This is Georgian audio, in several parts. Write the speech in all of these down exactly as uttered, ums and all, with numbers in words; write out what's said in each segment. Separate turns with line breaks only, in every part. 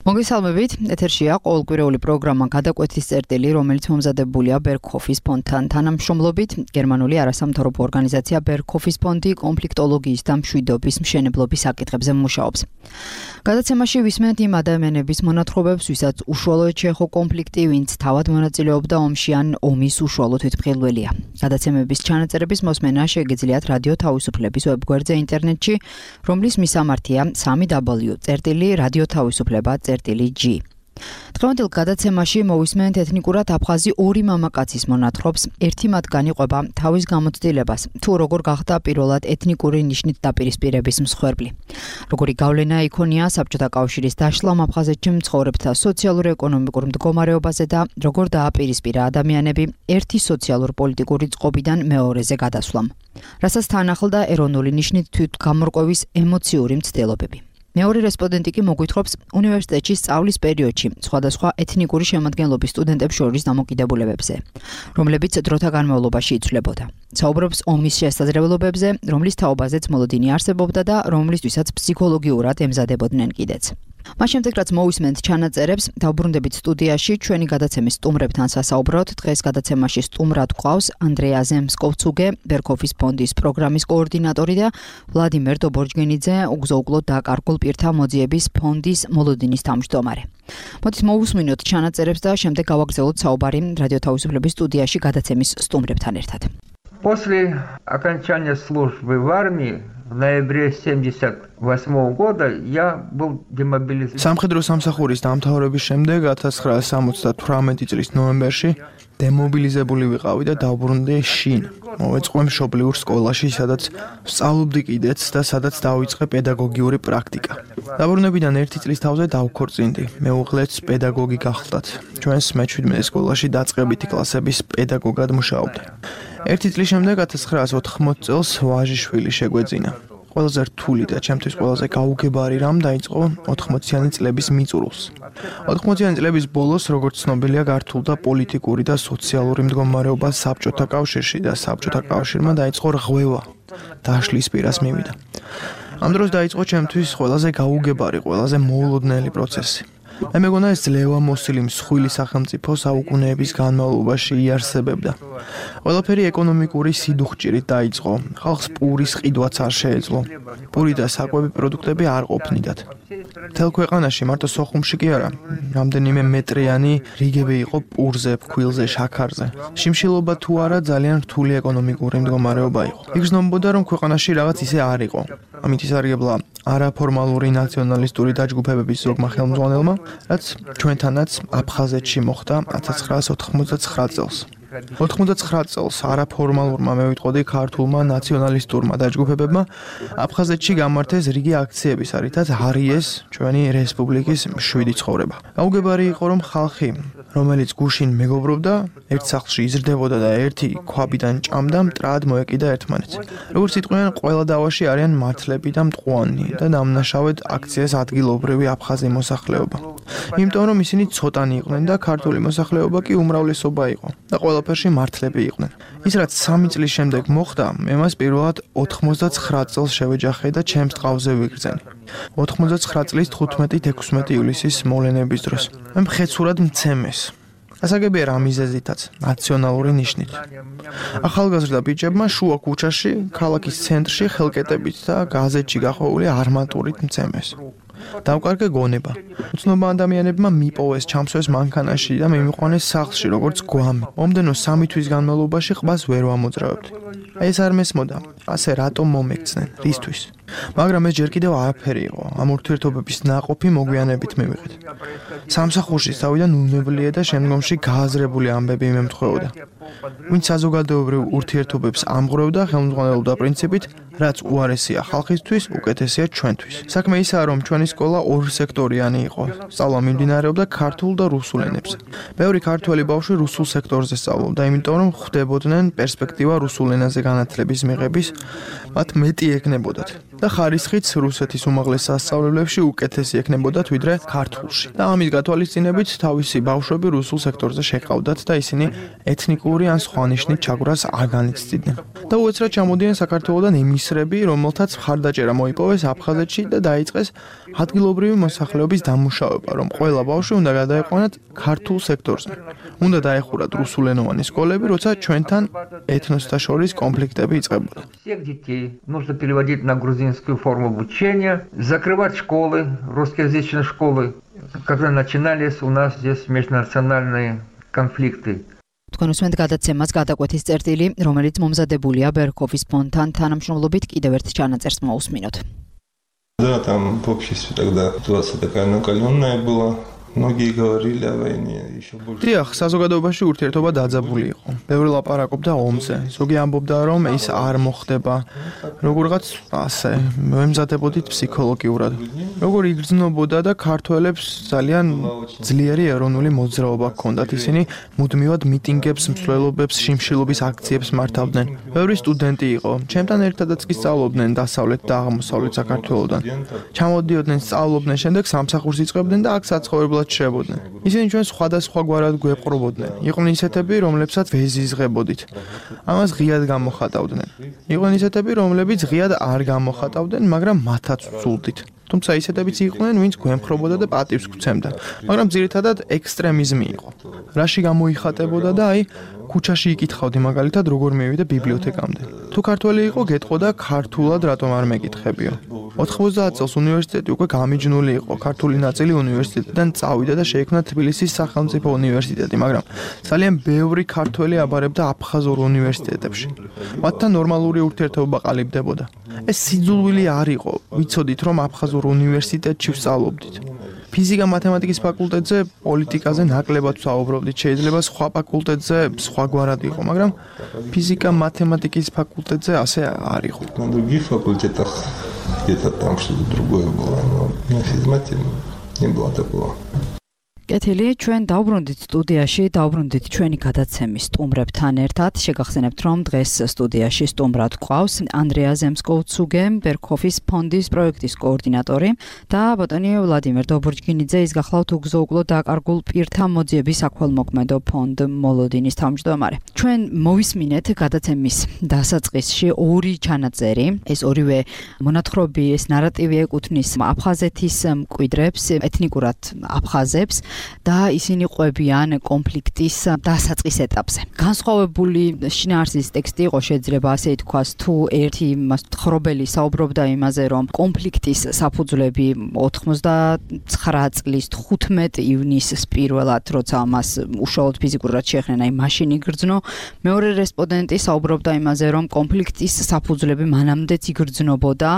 მოგესალმებით, ეთერშია ყოველკვირეული პროგრამა გადაკვეთის წერტილი, რომელიც მომზადებულია ბერგჰოფის ფონდთან თანამშრომლობით. გერმანული არასამთავრობო ორგანიზაცია ბერგჰოფის ფონდი კონფლიქტოლოგიის და მშვიდობის მშენებლობის საკითხებზე მუშაობს. გადაცემაში ვისმენთ იმ ადამიანების მონათხრობებს, ვისაც უშუალოდ შეეხო კონფლიქტი, ვინც თავად მონაწილეობდა ომში ან ომის უშუალო თვითმხილველია. გადაცემების ჩანაწერების მოსმენა შეგიძლიათ რადიო თავისუფლების ვებგვერდზე ინტერნეტში, რომლის მისამართია სამი დაბლიუ წერტილი რადიო თავისუფლება წერტილი G. დღევანდელ გადაცემაში მოვისმენთ ეთნიკურად აფხაზი ორი მამაკაცის მონათხრობს, ერთი მათგანი ყვება თავის გამოცდილებას, თუ როგორ გახდა პირველად ეთნიკური ნიშნით დაპირისპირების მსხვერპლი. როგორი გავლენა იქონია საბჭოთა კავშირის დაშლამ აფხაზეთში მცხოვრებთა სოციალურ-ეკონომიკურ მდგომარეობაზე და როგორ დააპირისპირა ადამიანები ერთი სოციალურ-პოლიტიკური წყობიდან მეორეზე გადასვლამ. რასაც თან ახლდა ეროვნული ნიშნით თვითგამორკვევის ემოციური მცდელობები. მეორე რესპონდენტი კი მოგვითხრობს უნივერსიტეტში სწავლის პერიოდში სხვადასხვა ეთნიკური შემადგენლობის სტუდენტებს შორის დამოკიდებულებებზე, რომლებიც დროთა განმავლობაში იცვლებოდა. საუბრობს ომის შესაძლებლობებზე, რომლის თაობაზეც მოლოდინი არსებობდა და რომლისთვისაც ფსიქოლოგიურად ემზადებოდნენ კიდეც. მას შემდეგ რაც მოვისმენთ ჩანაწერებს, დავბრუნდებით სტუდიაში ჩვენი გადაცემის სტუმრებთან სასაუბროთ. დღეს გადაცემაში სტუმრად გვყავს ანდრეა ზემსკოვცუგე, ბერგჰოფის ფონდის პროგრამის კოორდინატორი და ვლადიმერ დობორჯგენიძე, უგზო-უკლოდ დაკარგულ პირთა მოძიების ფონდის მოლოდინის თავმჯდომარე. მოდით მოვუსმინოთ ჩანაწერებს და შემდეგ გავაგრძელოთ საუბარი რადიო თავისუფლების სტუდიაში გადაცემის სტუმრებთან ერთად.
После окончания службы в армии в ноябре семьдесят восьмого года я был демобилизирован.
სამხედრო სამსახურის დამთავრების შემდეგ ათას ცხრაასი სამოცდათვრამეტი წლის ნოემბერში დემობილიზებული ვიყავი და დავბრუნდი შინ. მოვეწყო მშობლიურ სკოლაში, სადაც ვსწავლობდი კიდეც და სადაც დავიწყე პედაგოგიური პრაქტიკა. დაბრუნებიდან ერთი წლის თავზე დავქორწინდი. მეუღლეც პედაგოგი გახლდათ. ჩვენს მეჩვიდმეტე სკოლაში დაწყებითი კლასების პედაგოგად მუშაობდა. ერთი წლის შემდეგ ათას ცხრაასი ოთხმოცი წელს ვაჟიშვილი შეგვეძინა. ყველაზე რთული და ჩემთვის ყველაზე გაუგებარი რამ დაიწყო ოთხმოციანი წლების მიწურულს. ოთხმოციანი წლების ბოლოს, როგორც ცნობილია, გართულდა პოლიტიკური და სოციალური მდგომარეობა საბჭოთა კავშირში და საბჭოთა კავშირმა დაიწყო რღვევა დაშლის პირას მივიდა. ამ დროს დაიწყო ჩემთვის ყველაზე გაუგებარი, ყველაზე მოულოდნელი პროცესი. მე მეგონა ეს ძლევა მოსილი მსხვილი სახელმწიფო საუკუნეების განმავლობაში იარსებებდა. ყველაფერი ეკონომიკური სიდუხჭირით დაიწყო. ხალხს პურის ყიდვაც არ შეეძლო. პური და საკვები პროდუქტები არ ყოფნიდათ. მთელ ქვეყანაში, მარტო სოხუმში კი არა, რამდენიმე მეტრიანი რიგები იყო პურზე, ფქვილზე, შაქარზე. შიმშილობა თუ არა ძალიან რთული ეკონომიკური მდგომარეობა იყო. იგრძნობოდა, რომ ქვეყანაში რაღაც ისე არ იყო. ამით ისარგებლა არაფორმალური ნაციონალისტური დაჯგუფებების ზოგმა ხელმძღვანელმა, რაც ჩვენთანაც აფხაზეთში მოხდა ათას ცხრაასი ოთხმოცდაცხრა წელს. ოთხმოცდაცხრა წელს არაფორმალურმა მევიტყოდი ქართულმა ნაციონალისტურმა დაჯგუფებებმა აფხაზეთში გამართეს რიგი აქციები, რითაც არიეს ჩვენი რესპუბლიკის მშვიდი ცხოვრება. გაუგებარი იყო, რომ ხალხი, რომელიც გუშინ მეგობრობდა, ერთ სახლში იზრდებოდა და ერთი ქვაბიდან ჭამდა, მტრად მოეკიდა ერთმანეთს. როგორც იტყვიან, ყველა დავაში არიან მართლები და მტყუანი და დამნაშავედ აქციას ადგილობრივი აფხაზი მოსახლეობა. იმიტომ რომ ისინი ცოტანი იყვნენ და ქართული მოსახლეობა კი უმრავლესობა იყო და ყველაფერში მართლები იყვნენ. ის რაც სამი წლის შემდეგ მოხდა, მე მას პირველად ოთხმოცდაცხრა წელს შევეჯახე და ჩემს ტყავზე ვიგრძენი. ოთხმოცდაცხრა წლის თხუთმეტი ექვსმეტი ივლისის მოვლენების დროს. მე მხეცურად მცემეს. ასაგებია რა მიზეზითაც, ნაციონალური ნიშნით. ახალგაზრდა ბიჭებმა შუა ქუჩაში, ქალაქის ცენტრში ხელკეტებით და გაზეთში გახვეული არმატურით მცემეს. დავკარგე გონება. უცნობმა ადამიანებმა მიპოვეს ჩამსვეს მანქანაში და მიმიყვანეს სახლში, როგორც გვამი. მომდენო სამი თვის განმავლობაში ყბას ვერ ვამოძრავებდი. აი ეს არ მესმოდა. ასე რატომ მომექცნენ? რისთვის? მაგრამ ეს ჯერ კიდევ არაფერი იყო. ამ ურთიერთობების ნაყოფი მოგვიანებით მივიღეთ. სამსახურში თავიდან უნებლიე და შემდგომში გააზრებული ამბები მემთხვეოდა. ვინც საზოგადოებრივ ურთიერთობებს ამღვრევდა, ხელმძღვანელობდა პრინციპით, რაც უარესია ხალხისთვის, უკეთესია ჩვენთვის. საქმე ისაა, რომ ჩვენი სკოლა ორსექტორიანი იყო. სწავლა მიმდინარეობდა ქართულ და რუსულ ენებზე. ბევრი ქართველი ბავშვი რუსულ სექტორზე სწავლობდა, იმიტომ რომ ხვდებოდნენ პერსპექტივა რუსულ ენაზე განათლების მიღების, მათ მეტი ეკნებოდათ. და ხარისხიც რუსეთის უმაღლეს სასწავლებლებში უკეთესი ეკნებოდათ ვიდრე ქართულში. და ამის გათვალისწინებით თავისი ბავშვები რუსულ სექტორზე შეყავდათ და ისინი ეთნიკური ან სხვა ნიშნით ჩაგვრას არ განიცდიდნენ. და უეცრად ჩამოდიან საქართველოდან იმის ისრები, რომელთაც მხარდაჭერა მოიპოვეს აფხაზეთში და დაიწყეს ადგილობრივი მოსახლეობის დამუშავება, რომ ყველა ბავშვი უნდა გადაეყვანათ ქართულ სექტორზე. უნდა დაეხურათ რუსულენოვანი სკოლები, როცა ჩვენთან ეთნოსთა შორის კონფლიქტები იწყებოდა.
Всех детей нужно переводить на грузинскую форму обучения, закрывать школы, русскоязычные школы, когда начинались у нас здесь межнациональные конфликты.
თქვენ უსმენთ გადაცემას გადაკვეთის წერტილი, რომელიც მომზადებულია Berkhof-ის фондთან თანამშრომლობით, კიდევ ერთ ჩანაწერს მოусმინოთ.
Да, там в обществе тогда ситуация такая накаленная была. Многие говорили о войне, еще больше.
დიახ, საზოგადოებაში ურთიერთობა დაძაბული იყო. ბევრი ლაპარაკობდა ომზე. ზოგი ამბობდა, რომ ის არ მოხდება. როგორღაც ასე, მემზადებოდით ფსიქოლოგიურად. როგორ იგრძნობოდა და ქართველებს ძალიან ძლიერი ეროვნული მოძრაობა ჰქონდათ. ისინი მუდმივად მიტინგებს, მსვლელობებს, შიმშილობის აქციებს მართავდნენ. ბევრი სტუდენტი იყო. ჩემთან ერთადაც კი სწავლობდნენ დასავლეთ და აღმოსავლეთ საქართველოდან. ჩამოდიოდნენ, სწავლობდნენ, შემდეგ სამსახურს იწყებდნენ და აქ საცხოვრებლად შეებოდნენ. ისინი ჩვენ სხვადასხვა გვარად გვეპყრობოდნენ. იყვნენ ისეთები, რომლებსაც ვეზიზღებოდით. ამას ღიად გამოხატავდნენ. იყვნენ ისეთები, რომლებიც ღიად არ გამოხატავდნენ, მაგრამ მათაც ვსულდით. თუმცა ისეთებიც იყვნენ, ვინც გვემხრობოდა და პატივს გვცემდა, მაგრამ ძირითადად ექსტრემიზმი იყო. რაში გამოიხატებოდა და აი ქუჩაში იკითხავდი მაგალითად როგორ მივიდე ბიბლიოთეკამდე. თუ ქართველი იყო, გეტყოდა ქართულად რატომ არ მეკითხებიო. ოთხმოცდაათ წელს უნივერსიტეტი უკვე გამიჯნული იყო. ქართული ნაწილი უნივერსიტეტიდან წავიდა და შეიქმნა თბილისის სახელმწიფო უნივერსიტეტი, მაგრამ ძალიან ბევრი ქართველი აბარებდა აფხაზურ უნივერსიტეტებში. მათთან ნორმალური ურთიერთობა ყალიბდებოდა. ეს სიძულვილი არ იყო. ვიცოდით, რომ აფხაზურ უნივერსიტეტში ვსწავლობდით. ფიზიკა მათემატიკის ფაკულტეტზე პოლიტიკაზე ნაკლებად ვსაუბრობდით. შეიძლება სხვა ფაკულტეტზე სხვაგვარად იყო, მაგრამ ფიზიკა მათემატიკის ფაკულტეტზე ასე არ იყო.
На других факультетах где-то там что-то другое было, но на физмате не было такого.
კეთილი, ჩვენ დავბრუნდით სტუდიაში, დავბრუნდით ჩვენი გადაცემის სტუმრებთან ერთად. შეგახსენებთ, რომ დღეს სტუდიაში სტუმრად გვყავს ანდრეა ზემსკოვცუგე, Berkhof-ის ფონდის პროექტის კოორდინატორი და ბატონი ვლადიმერ დობროჯგინიძე, ის გახლავთ უგზო-უკლო დაკარგულ პირთა მოძიების საქველმოქმედო ფონდ მოლოდინის თავმჯდომარე. ჩვენ მოვისმინეთ გადაცემის დასაწყისში ორი ჩანაწერი. ეს ორივე მონათხრობი, ეს ნარატივი ეკუთვნის აფხაზეთის მკვიდრებს, ეთნიკურად აფხაზებს. და ისინი ყვებიან კონფლიქტის დასაწყის ეტაპზე. განსხვავებული შინაარსის ტექსტი იყო, შეიძლება ასე ითქვას, თუ ერთი ხრობელი საუბრობდა იმაზე, რომ კონფლიქტის საფუძვლები ოცდათხმეტ წლის თხუთმეტ ივნისს პირველად, როცა მას უშუალოდ ფიზიკურად შეეხნენ, აი მაშინ იგრძნო. მეორე რესპონდენტი საუბრობდა იმაზე, რომ კონფლიქტის საფუძვლები მანამდეც იგრძნობოდა,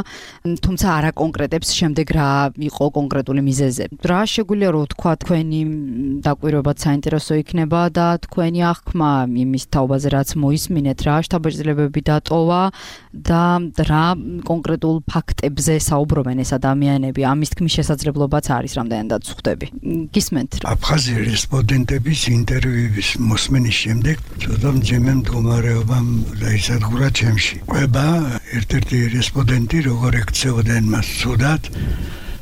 თუმცა არა კონკრეტებს შემდეგ რა იყო კონკრეტული მიზეზი. რა შეგვიძლია რომ თქვა თქვენი დაკვირვებაც საინტერესო იქნება და თქვენი აღქმა იმის თაობაზე, რაც მოისმინეთ, რა შთაბეჭდილებები დატოვა და რა კონკრეტულ ფაქტებზე საუბრობენ ეს ადამიანები. ამის თქმის შესაძლებლობაც არის, რამდენადაც ვხვდები. გისმენთ რა?
აფხაზი რესპონდენტების ინტერვიუების მოსმენის შემდეგ ცოტა მძიმე მდგომარეობამ დაისადგურა ჩემში. ყვება ერთ-ერთი რესპონდენტი როგორ ექცეოდნენ მას ცუდად,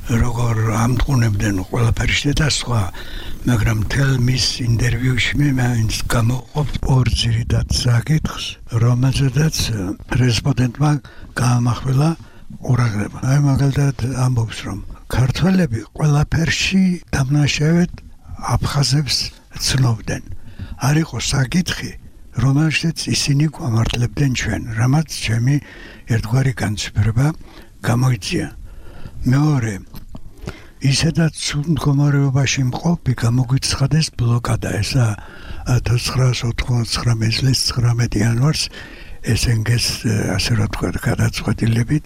როგორ ამტყუნებდნენ ყველაფერში და სხვა, მაგრამ მთელ მის ინტერვიუში მე მაინც გამოვყოფ ორ ძირითად საკითხს, რომელზედაც რესპონდენტმა გაამახვილა ყურადღება. აი მაგალითად ამბობს, რომ ქართველები ყველაფერში დამნაშავედ აფხაზებს ცნობდნენ. არ იყო საკითხი, რომელშიც ისინი გვამართლებდნენ ჩვენ, რამაც ჩემი ერთგვარი განცდომა გამოიწია. მეორე, ისედაც ცუდ მდგომარეობაში მყოფი გამოგვიცხადეს ბლოკადა. ესა ათასცხრაას ოთხმოცდათხმეტ წლის ცხრამეტი იანვარს ეს ენ გი-ს ასე რა თქვა გადაწყვეტილებით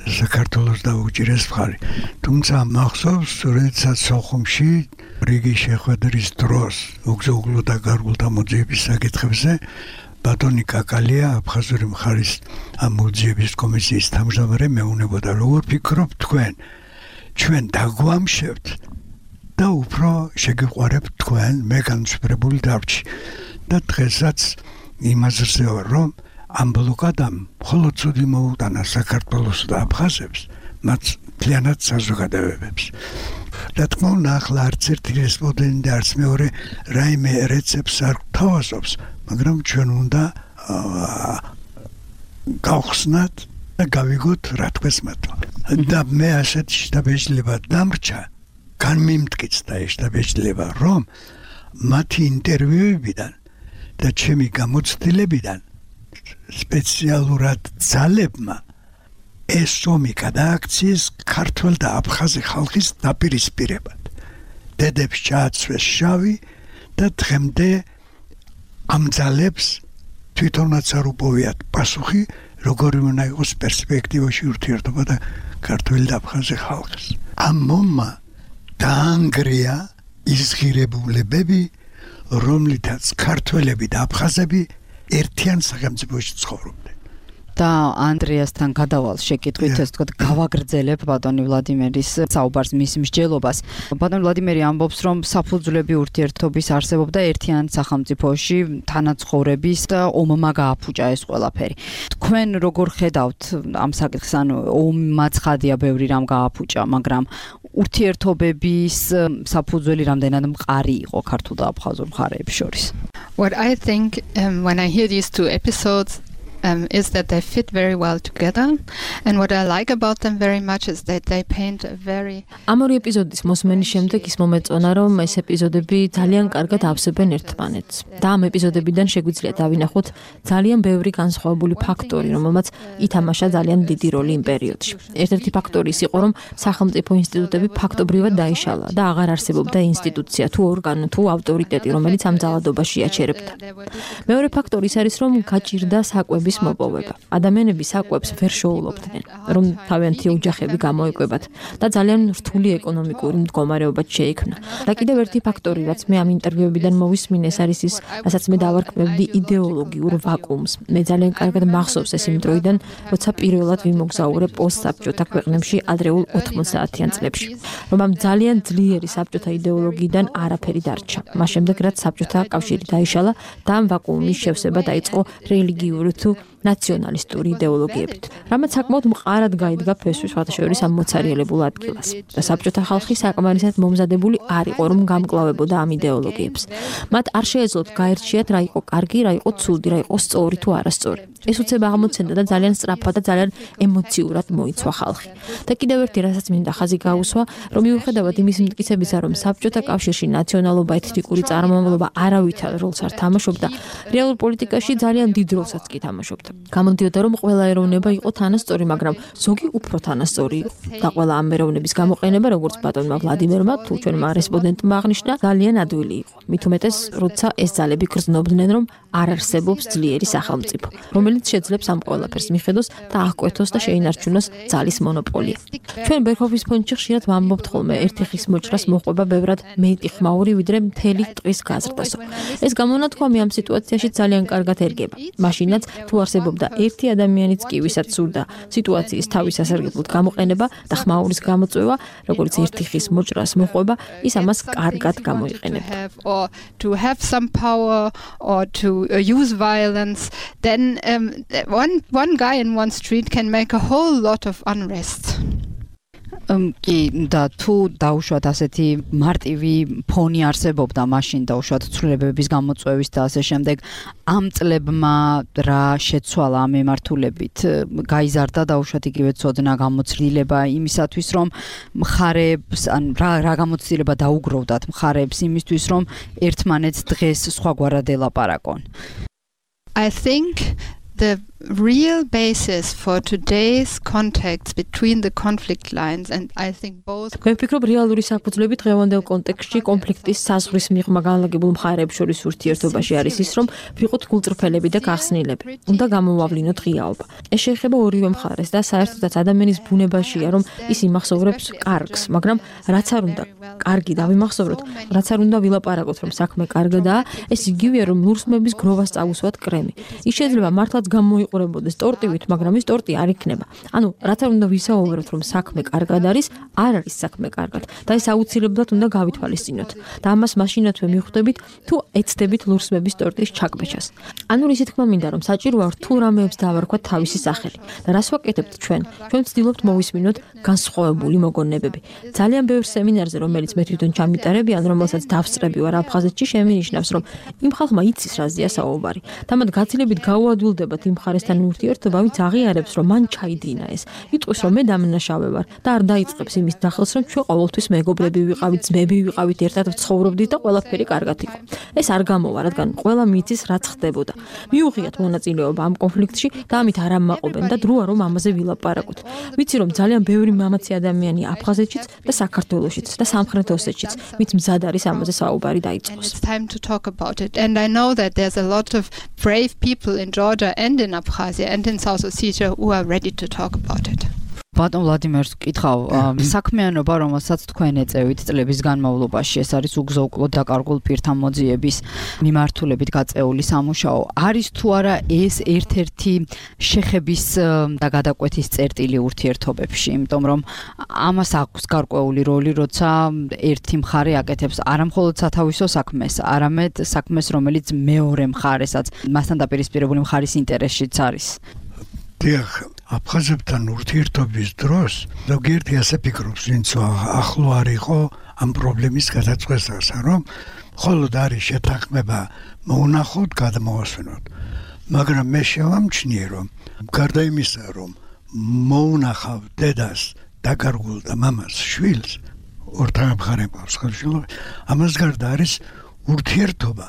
საქართველოს დაუჭირეს მხარი. თუმცა მახსოვს, როდესაც სოხუმში რიგი შეხვედრის დროს უგზო-უგლო დაკარგულთა მოძიების საკითხებზე ბატონი კაკალია, აფხაზური მხარის ამ მოძიების კომისიის თავმჯდომარე მეუბნებოდა, როგორ ფიქრობთ თქვენ, ჩვენ დაგვამშევთ და უფრო შეგიყვარებთ თქვენ, მე განსხვავებული დარჩი. და დღესაც იმაზრზე ვარ, რომ ამ ბლოკადამ მხოლოდ ცუდი მოუტანა საქართველოს და აფხაზებს, მათ მთლიანად საზოგადოებებს. რა თქმა უნდა, ახლა არც ერთი რესპონდენტი, არც მეორე რაიმე რეცეპტს არ გვთავაზობს, მაგრამ ჩვენ უნდა გავხსნათ და გავიგოთ რა თქოს მართლა. და მე ასეთ შტაბეჭდილება დამრჩა, განმიმტკიცდა ეს შტაბეჭდილება, რომ მათი ინტერვიუებიდან და ჩემი გამოცდილებიდან სპეციალურად ძალებმა ეს ომი გადააქციეს ქართველ და აფხაზი ხალხის დაპირისპირებად. დედებს ჩააცვეს შავი და დღემდე ამ ძალებს თვითონაც არ უპოვიათ პასუხი, როგორი უნდა იყოს პერსპექტივაში ურთიერთობა და ქართველ და აფხაზი ხალხის. ამ მომმა დაანგრია ის ღირებულებები, რომლითაც ქართველები და აფხაზები ერთიან სახელმწიფოში ცხოვრობდნენ.
და ანდრიასთან გადავალ შეკითხვით, ასე ვთქვათ, გავაგრძელებ ბატონი ვლადიმერის საუბარს, მის მსჯელობას. ბატონი ვლადიმერი ამბობს, რომ საფუძვლები ურთიერთობის არსებობდა ერთიან სახელმწიფოში, თანაცხოვრების და ომმა გააფუჭა ეს ყველაფერი. თქვენ როგორ ხედავთ ამ საკითხს, ანუ ომმა ცხადია ბევრი რამ გააფუჭა, მაგრამ ურთიერთობების საფუძველი რამდენად მყარი იყო ქართულ და აფხაზურ მხარეებს შორის?
What I think um, when I hear these two episodes Um, is that they fit very well together, and what I like about them very much is that they paint a very
ამ ორი ეპიზოდის მოსმენის შემდეგ ის მომეწონა, რომ ეს ეპიზოდები ძალიან კარგად ავსებენ ერთმანეთს და ამ ეპიზოდებიდან შეგვიძლია დავინახოთ ძალიან ბევრი განსხვავებული ფაქტორი, რომელმაც ითამაშა ძალიან დიდი როლი იმ პერიოდში. ერთ-ერთი ფაქტორი ის იყო, რომ სახელმწიფო ინსტიტუტები ფაქტობრივად დაიშალა და აღარ არსებობდა ინსტიტუცია თუ ორგანო თუ ავტორიტეტი, რომელიც ამ ძალადობაში აჩერებდა. მეორე ფაქტორი ის არის, რომ გაჭირდა საკვების მოპოვება. ადამიანები საკვებს ვერ შეულობდნენ, რომ თავიანთი ოჯახები გამოეკვებათ და ძალიან რთული ეკონომიკური მდგომარეობა შეიქმნა. და კიდევ ერთი ფაქტორი, რაც მე ამ ინტერვიუებიდან მოვისმინე, ეს არის ის, რასაც მე დავარქმევდი იდეოლოგიურ ვაკუუმს. მე ძალიან კარგად მახსოვს ეს იმ დროიდან, როცა პირველად ვიმოგზაურე პოსტსაბჭოთა ქვეყნებში ადრეულ ოთხმოცდაათიან წლებში, რომ ამ ძალიან ძლიერი საბჭოთა იდეოლოგიიდან არაფერი დარჩა. მას შემდეგ, რაც საბჭოთა კავშირი დაიშალა და ამ ვაკუუმის შევსება დაიწყო რელიგიური თუ ნაციონალისტური იდეოლოგიებით, რამაც საკმაოდ მყარად გაიდგა ფესვის სხვადასხვა ამ მოცარიელებულ ადგილას. და საბჭოთა ხალხი საკმარისად მომზადებული არ იყო, რომ გამკლავებოდა ამ იდეოლოგიებს. მათ არ შეეძლოთ გაერჩიათ რა იყო კარგი, რა იყო ცუდი, რა იყო სწორი თუ არასწორი. ეს უცებ აღმოცენდა და ძალიან სწრაფად და ძალიან ემოციურად მოიცვა ხალხი. და კიდევ ერთი რასაც მინდა ხაზი გაუსვა, რომ მიუხედავად იმის მტკიცებისა, რომ საბჭოთა კავშირში ნაციონალობა, ეთნიკური წარმომავლობა არავითარ როლს არ თამაშობდა, რეალურ პოლიტიკაში ძალიან დიდ როლსაც კი თამაშობდა. გამოდიოდა, რომ ყველა ეროვნება იყო თანასწორი, მაგრამ ზოგი უფრო თანასწორი იყო. და ყველა ამ ეროვნების გამოყენება, როგორც ბატონმა ვლადიმერმა თუ ჩვენმა რესპონდენტმა აღნიშნა, ძალიან ადვილი იყო. მით უმეტეს, როცა ეს ძალები გრძნობდნენ, რომ არ არსებობს ძლიერი სახელმწიფო, რომელიც შეძლებს ამ ყველაფერს მიხედოს და აღკვეთოს და შეინარჩუნოს ძალის მონოპოლია. ჩვენ ბერქოფის ფონდში ხშირად ვამბობთ ხოლმე, ერთი ხის მოჭრას მოყვება ბევრად მეტი ხმაური, ვიდრე მთელი ტყის გაზრდასო. ეს გამონათქვამი ამ სიტუაციაში ძალიან კარგად ერგება. მაშინაც თუ არსებობდა ერთი ადამიანიც კი, ვისაც სურდა სიტუაციის თავის სასარგებლოდ გამოყენება და ხმაურის გამოწვევა, როგორც ერთი ხის მოჭრას მოყვება, ის ამას კარგად გამოიყენებდა.
or to have some power or to uh, use violence, then um, one one guy in one street can make a whole lot of unrest.
კი და თუ დაუშვათ ასეთი მარტივი ფონი არსებობდა მაშინ დაუშვათ ცვლილებების გამოწვევის და ასე შემდეგ, ამ წლებმა რა შეცვალა ამ ემართულებით? გაიზარდა დაუშვათ იგივე ცოდნა, გამოცდილება იმისათვის, რომ მხარეებს ან რა რა გამოცდილება დაუგროვდათ მხარეებს იმისთვის, რომ ერთმანეთს დღეს სხვაგვარად ელაპარაკონ?
I think the real basis for today's contacts between the conflict lines, and I think both
მე ვფიქრობ, რეალური საფუძვლები დღევანდელ კონტექსტში კონფლიქტის საზღვრის მიღმა განლაგებულ მხარეებს შორის ურთიერთობაში არის ის, რომ ვიყოთ გულწრფელები და გახსნილები. უნდა გამოვავლინოთ ღიაობა. ეს შეეხება ორივე მხარეს და საერთოდაც ადამიანის ბუნებაშია, რომ ის იმახსოვრებს კარგს, მაგრამ რაც არ უნდა კარგი დავიმახსოვროთ, რაც არ უნდა ვილაპარაკოთ, რომ საქმე კარგადაა, ეს იგივეა, რომ ლურსმების გროვას წავუსვათ კრემი. ის შეიძლება მართლაც გამოიყურებოდეს ტორტივით, მაგრამ ის ტორტი არ იქნება. ანუ რაც არ უნდა ვისაუბროთ, რომ საქმე კარგად არის, არ არის საქმე კარგად და ეს აუცილებლად უნდა გავითვალისწინოთ. და ამას მაშინათვე მიხვდებით, თუ ეცდებით ლურსმების ტორტის ჩაკვეჩას. ანუ ისე თქმა მინდა, რომ საჭიროა რთულ რამეებს დავარქვათ თავისი სახელი. და რას ვაკეთებთ ჩვენ? ჩვენ ვცდილობთ მოვისმინოთ განსხვავებული მოგონებები. ძალიან ბევრ სემინარზე, რომელიც მე თვითონ ჩამიტარები, ან რომელსაც დავსწრები ვარ აფხაზეთში, შემინიშნავს, რომ იმ ხალხმა იცის რაზეა საუბარი. და მათ გაცილებით გაუადვილდება ალბათ იმ მხარესთან ურთიერთობა, ვინც აღიარებს, რომ მან ჩაიდინა ეს. იტყვის, რომ მე დამნაშავე ვარ და არ დაიწყებს იმის დახელს, რომ ჩვენ ყოველთვის მეგობრები ვიყავით, ძმები ვიყავით, ერთად ვცხოვრობდით და ყველაფერი კარგად იყო. ეს არ გამოვა, რადგან ყველა მიცის რაც ხდებოდა. მიუღიათ მონაწილეობა ამ კონფლიქტში და ამით არ ამაყობენ და დროა რომ ამაზე ვილაპარაკოთ. ვიცი რომ ძალიან ბევრი მამაცი ადამიანი აფხაზეთშიც და საქართველოშიც და სამხრეთ ოსეთშიც, ვინც მზად არის ამაზე საუბარი დაიწყოს.
It's time to talk about it. And I know that there's a lot of brave people in Georgia and in Abkhazia and in South Ossetia who are ready to talk about it.
ბატონ ვლადიმერს ვკითხავ, საქმიანობა, რომელსაც თქვენ ეწევით წლების განმავლობაში, ეს არის უგზო-უკვლოდ დაკარგულ პირთა მოძიების მიმართულებით გაწეული სამუშაო. არის თუ არა ეს ერთ-ერთი შეხების და გადაკვეთის წერტილი ურთიერთობებში, იმიტომ რომ ამას აქვს გარკვეული როლი, როცა ერთი მხარე აკეთებს არა მხოლოდ სათავისო საქმეს, არამედ საქმეს, რომელიც მეორე მხარესაც, მასთან დაპირისპირებული მხარის ინტერესშიც არის.
დიახ, აფხაზებთან ურთიერთობის დროს ზოგიერთი ასე ფიქრობს, ვინც ახლო არ იყო ამ პრობლემის გადაწყვეტას, რომ მხოლოდ არის შეთანხმება მოუნახოთ, გადმოვასვენოთ. მაგრამ მე შევამჩნიე, რომ გარდა იმისა, რომ მოუნახავ დედას, დაკარგულ და მამას, შვილს, ორთაგ მხარემყავს ხელშეულობა, ამას გარდა არის ურთიერთობა,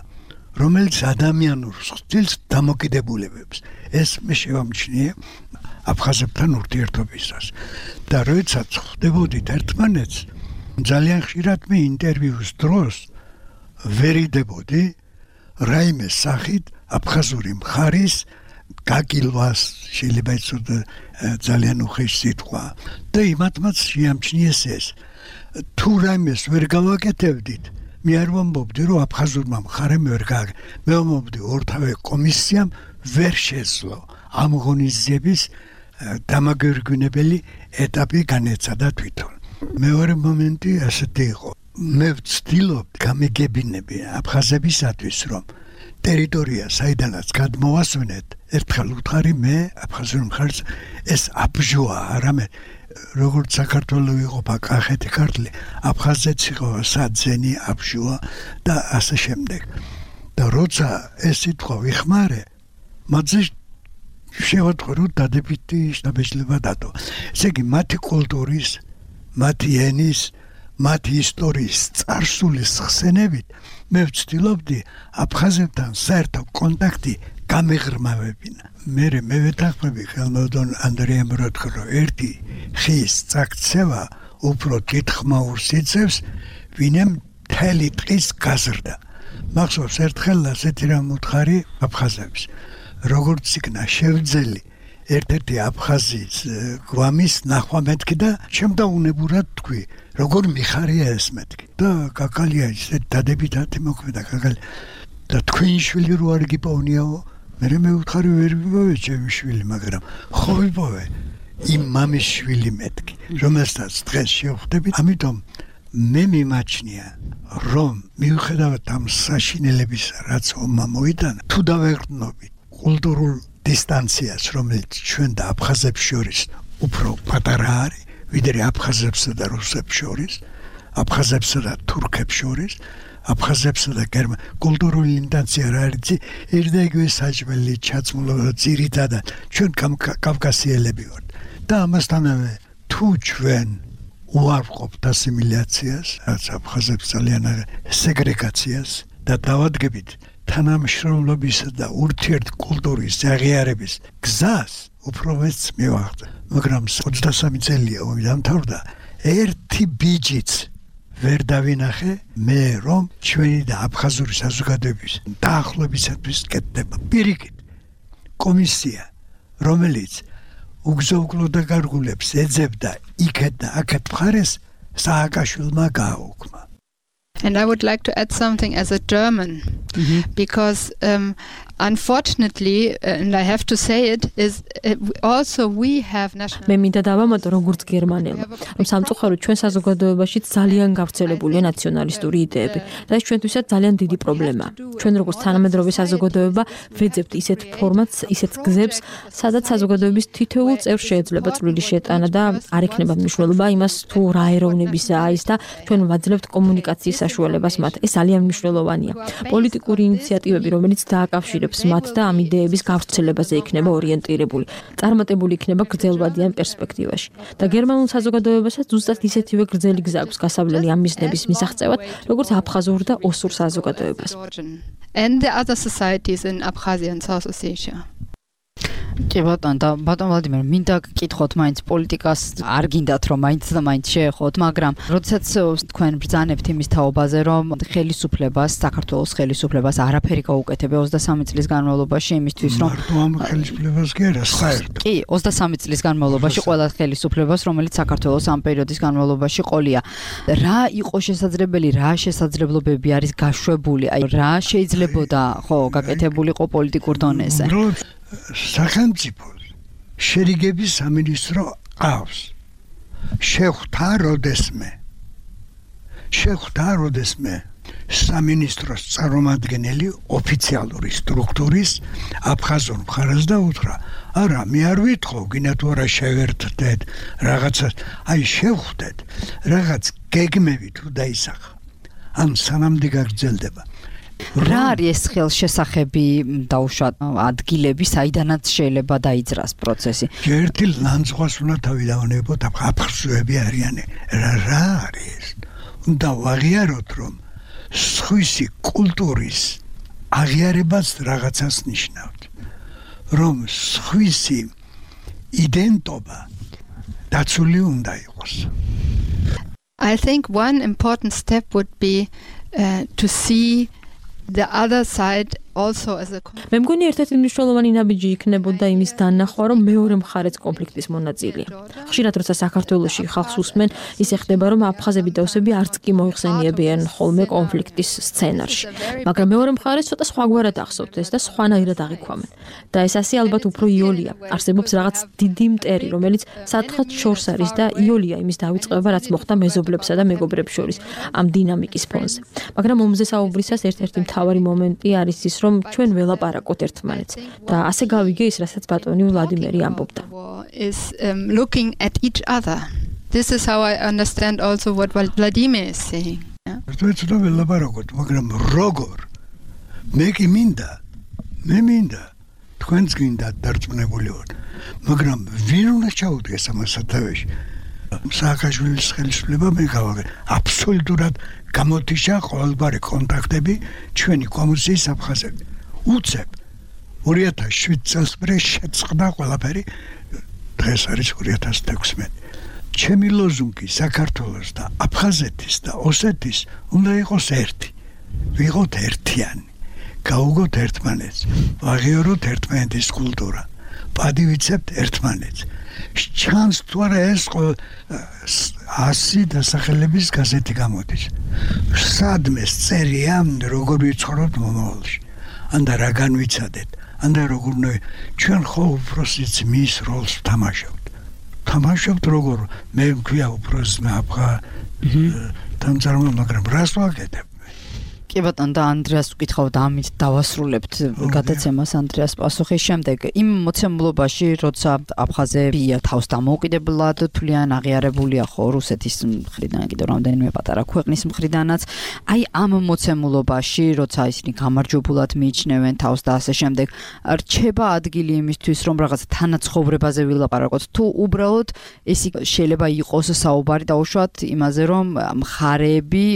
რომელიც ადამიანურ სტილს დამოკიდებულებებს. ეს მე შევამჩნიე აფხაზებთან ურთიერთობისას. და როდესაც ხვდებოდით ერთმანეთს, ძალიან ხშირად მე ინტერვიუს დროს ვერიდებოდი რაიმე სახით აფხაზური მხარის გაგილვას, შეიძლება იცოდე ძალიან უხეში სიტყვა. და იმათმაც შეამჩნიეს ეს. თუ რაიმეს ვერ გავაკეთებდით, მე არ ვამბობდი, რომ აფხაზურმა მხარემ ვერ გააკეთა. მე ვამბობდი, ორთავე კომისიამ ვერ შეძლო ამ ღონისძიების დამაგერგუნებელი ეტაპი განეცადა თვითონ. მეორე მომენტი ასეთი იყო. მე ვცდილობდი გამიგებინები აფხაზებისათვის, რომ ტერიტორია, საიდანაც გადმოვასვენეთ, ერთხელ უთხარი მე აფხაზურ მხარს ეს აბჟოა, არამედ როგორც საქართველოს იყოფა კახეთი ქართლი, აფხაზეთს იყო საძენი, აბჟოა და ასე შემდეგ. და როცა ეს სიტყვა ვიხმარე, მათზე შევატყო, რომ დადებითი შთაბეჭდილება დადო. ესე იგი, მათი კულტურის, მათი ენის, მათი ისტორიის წარსულის ხსენებით მე ვცდილობდი აფხაზებთან საერთო კონტაქტი გამეღრმავებინა. მე მე ვეთანხმები ხელმოდონ ანდრეამ როთქო, რომ ერთი ხის წაქცევა უფრო დიდხმაურს იწევს, ვინემ მთელი დღის გაზრდა. მახსოვს ერთხელ ასეთი რამ უთხარი აფხაზებს. როგორც იქნა შევძელი ერთ-ერთი აფხაზის გვამის ნახვა მეთქი და შემდაუნებურად თქვი, როგორ მიხარია ეს მეთქი. და კაკალია ისე დადებითად მოქმედა კაკალი. და თქვენი შვილი რო არ გიპოვნიაო, მე მე უთხარი ვერ ვიპოვე ჩემი შვილი, მაგრამ ხო ვიპოვე იმ მამის შვილი მეთქი, რომელსაც დღეს შევხვდებით. ამიტომ მე მიმაჩნია, რომ მიუხედავად ამ საშინელების, რაც ომმა მოიტანა, თუ დავეყრდნობით კულტურულ დისტანციას, რომელიც ჩვენ და აფხაზებს შორის უფრო პატარა არის, ვიდრე აფხაზებსა და რუსებს შორის, აფხაზებსა და თურქებს შორის, აფხაზებსა და გერმან კულტურული ინტენსია რა არის, ერთ და იგივე საჭმელი ჩაცმულობა ძირითადად ჩვენ კავკასიელები ვართ. და ამასთანავე თუ ჩვენ უარყოფთ ასიმილაციას, რაც აფხაზებს ძალიან სეგრეგაციას და დავადგებით თანამშრომლობისა და ურთიერთკულტურის აღიარების გზას, უფრო მეც მივახდა. მაგრამ ოცდასამი წელია ომი დამთავრდა, ერთი ბიჯიც ვერ დავინახე მე, რომ ჩვენი და აფხაზური საზოგადოების დაახლოებისათვის კეთდება. პირიქით, კომისია, რომელიც უგზო-უკვლოდ დაკარგულებს ეძებდა იქეთ და აქეთ მხარეს, სააკაშვილმა გააუქმა.
And I would like to add something as a German, mm-hmm. because um, unfortunately, and I have to say it, is uh, also we have national.
მე მინდა დავამატო როგორც გერმანელმა, რომ სამწუხაროდ ჩვენ საზოგადოებაში ძალიან გავრცელებულია ნაციონალისტური იდეები და ეს ჩვენთვისაც ძალიან დიდი პრობლემაა. ჩვენ როგორც თანამედროვე საზოგადოება ვეძებთ ისეთ ფორმატს, ისეთ გზებს, სადაც საზოგადოების თითოეულ წევრს შეიძლება წვლილი შეტანა და არ ექნება მნიშვნელობა იმას თუ რა ეროვნებისაა ის და ჩვენ ვაძლევთ კომუნიკაციის საშუალებას მათ. ეს ძალიან მნიშვნელოვანია. პოლიტიკური ინიციატივები, რომელიც დააკავშირებს აკავშირებს მათ და ამ იდეების გავრცელებაზე იქნება ორიენტირებული. წარმატებული იქნება გრძელვადიან პერსპექტივაში. და გერმანულ საზოგადოებასაც ზუსტად ისეთივე გრძელი გზა აქვს გასავლელი ამ მიზნების მისაღწევად, როგორც აფხაზურ და ოსურ საზოგადოებას.
And the other societies in Abkhazia and South Ossetia.
კი ბატონო და ბატონ ვლადიმერ, მინდა გკითხოთ მაინც პოლიტიკას არ გინდათ რომ მაინც და მაინც შეეხოთ, მაგრამ როდესაც თქვენ ბრძანებთ იმის თაობაზე, რომ ხელისუფლებას, საქართველოს ხელისუფლებას არაფერი გაუკეთებია ოცდასამი წლის განმავლობაში იმისთვის, რომ
მარტო ამ ხელისუფლებას კი არა, საერთოდ.
კი, ოცდასამი წლის განმავლობაში ყველა ხელისუფლებას, რომელიც საქართველოს ამ პერიოდის განმავლობაში ყოლია. რა იყო შესაძლებელი, რა შესაძლებლობები არის გაშვებული, აი რა შეიძლებოდა ხო გაკეთებულიყო პოლიტიკურ დონეზე?
სახელმწიფო შერიგების სამინისტრო ყავს. შეხვდა როდესმე. შეხვდა როდესმე სამინისტროს წარმომადგენელი ოფიციალური სტრუქტურის აფხაზურ მხარეს და უთხრა, არა, მე არ ვითხოვ, გინდა თუ არა შევერთდეთ რაღაცას, აი შევხვდეთ, რაღაც გეგმები თუ დაისახა. ამ სანამდე გაგრძელდება.
რა არის ეს ხელშესახები დაუშვათ ადგილები, საიდანაც შეიძლება დაიძრას პროცესი?
ერთი ლანძღვას უნდა თავი დავანებოთ, აფხაზოები არიან. რა რა არის? უნდა ვაღიაროთ, რომ სხვისი კულტურის აღიარებაც რაღაცას ნიშნავს. რომ სხვისი იდენტობა დაცული უნდა იყოს.
I think one important step would be uh, to see the other side also as a
მე მგონი ერთ-ერთი მნიშვნელოვანი ნაბიჯი იქნებოდა იმის დანახვა, რომ მეორე მხარეც კონფლიქტის მონაწილეა. ხშირად როცა საქართველოში ხალხს უსმენ, ისე ხდება, რომ აფხაზები და ოსები არც კი მოიხსენიებიან ხოლმე კონფლიქტის სცენარში. მაგრამ მეორე მხარეს ცოტა სხვაგვარად ახსოვთ ეს და სხვანაირად აღიქვამენ. და ეს ასე ალბათ უფრო იოლია. არსებობს რაღაც დიდი მტერი, რომელიც სათხად შორს არის და იოლია იმის დავიწყება, რაც მოხდა მეზობლებსა და მეგობრებს შორის ამ დინამიკის ფონზე. მაგრამ ომზე საუბრისას ერთ-ერთი მთავარი მომენტი არის ის, რომ ჩვენ ველაპარაკოთ ერთმანეთს და ასე გავიგე ის, რასაც ბატონი ვლადიმერი ამბობდა.
is um, looking at each other. This is how I understand also what Vladimir is saying.
ერთმანეთს უნდა ველაპარაკოთ, მაგრამ როგორ? მე კი მინდა, მე მინდა თქვენც გინდა დარწმუნებულიოთ, მაგრამ ვინ უნდა ჩაუდგეს ამას სათავეში? სააკაშვილის ხელისუფლება მე გავაგე აბსოლუტურად გამოთიშა ყოველგვარი კონტაქტები ჩვენი კომუნიკის აფხაზები. უცებ ორი ათას შვიდ წელს მერე შეწყდა ყველაფერი, დღეს არის ორი ათას თექვსმეტი. ჩემი ლოზუნგი საქართველოს და აფხაზეთის და ოსეთის უნდა იყოს ერთი. ვიყოთ ერთიანი. გავუგოთ ერთმანეთს, ვაღიაროთ ერთმანეთის კულტურა. პადივიცებთ ერთმანეთს. ჩანს თუ არა ეს ასი დასახელების გაზეთი გამოდის. სადმე წერია, როგორ ვიცხოვრობთ მომავალში. ანდა რა განვიცადეთ, ანდა როგორ უნდა ჩვენ ხო უბრალოდ მის როლს ვთამაშობთ. ვთამაშობთ როგორ მე მქვია უბრალოდ აფხა დამწარმო, მაგრამ რას ვაკეთებ?
კი ბატონო და ანდრეას ვკითხავთ, ამით დავასრულებთ გადაცემას ანდრეას პასუხის შემდეგ. იმ მოცემულობაში, როცა აფხაზები თავს დამოუკიდებლად თვლიან, აღიარებულია ხო რუსეთის მხრიდან, კიდევ რამდენიმე პატარა ქვეყნის მხრიდანაც. აი ამ მოცემულობაში, როცა ისინი გამარჯვებულად მიიჩნევენ თავს და ასე შემდეგ, რჩება ადგილი იმისთვის, რომ რაღაც თანაცხოვრებაზე ვილაპარაკოთ, თუ უბრალოდ ეს შეიძლება იყოს საუბარი დაუშვათ იმაზე, რომ მხარეები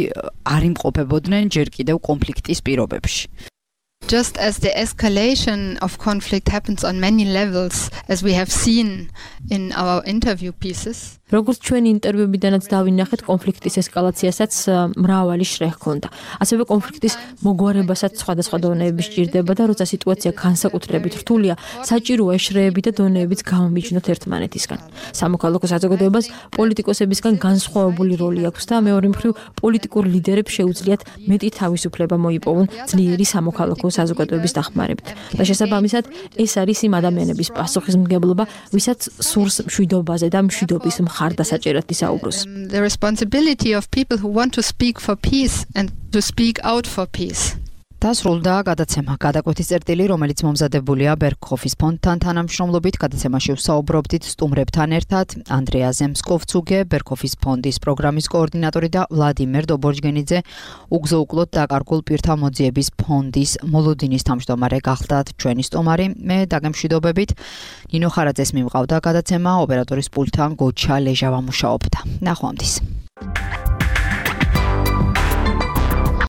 არ იმყოფებოდნენ ჯერ კიდევ კონფლიქტის პირობებში.
Just as the escalation of conflict happens on many levels, as we have seen in our interview pieces.
როგორც ჩვენი ინტერვიუებიდანაც დავინახეთ, კონფლიქტის ესკალაციასაც მრავალი შრე ჰქონდა. ასევე კონფლიქტის მოგვარებასაც სხვადასხვა დონეები სჭირდება და როცა სიტუაცია განსაკუთრებით რთულია, საჭიროა შრეები და დონეებიც გამომიჯნოთ ერთმანეთისგან. სამოქალაქო საზოგადოებას პოლიტიკოსებისგან განსხვავებული როლი აქვს და მეორე მხრივ პოლიტიკურ ლიდერებს შეუძლიათ მეტი თავისუფლება მოიპოვონ ძლიერი სამოქალაქო საზოგადოების დახმარებით. და შესაბამისად, ეს არის იმ ადამიანების პასუხისმგებლობა, ვისაც სურს მშვიდობაზე და მშვიდობის მხარდასაჭერად ისაუბროს.
Um, the responsibility of people who want to speak for peace and to speak out for peace.
დასრულდა გადაცემა გადაკვეთის წერტილი, რომელიც მომზადებულია ბერგჰოფის ფონდთან თანამშრომლობით. გადაცემაში ვსაუბრობდით სტუმრებთან ერთად ანდრეა ზემსკოვცუგე, ბერგჰოფის ფონდის პროგრამის კოორდინატორი და ვლადიმერ დობორჯგენიძე, უგზო-უკლოდ დაკარგულ პირთა მოძიების ფონდის მოლოდინის თავმჯდომარე გახლდათ ჩვენი სტუმარი. მე დაგემშვიდობებით. ნინო ხარაძეს მიმყავდა გადაცემა, ოპერატორის პულტთან გოჩა ლეჟავა მუშაობდა. ნახვამდის.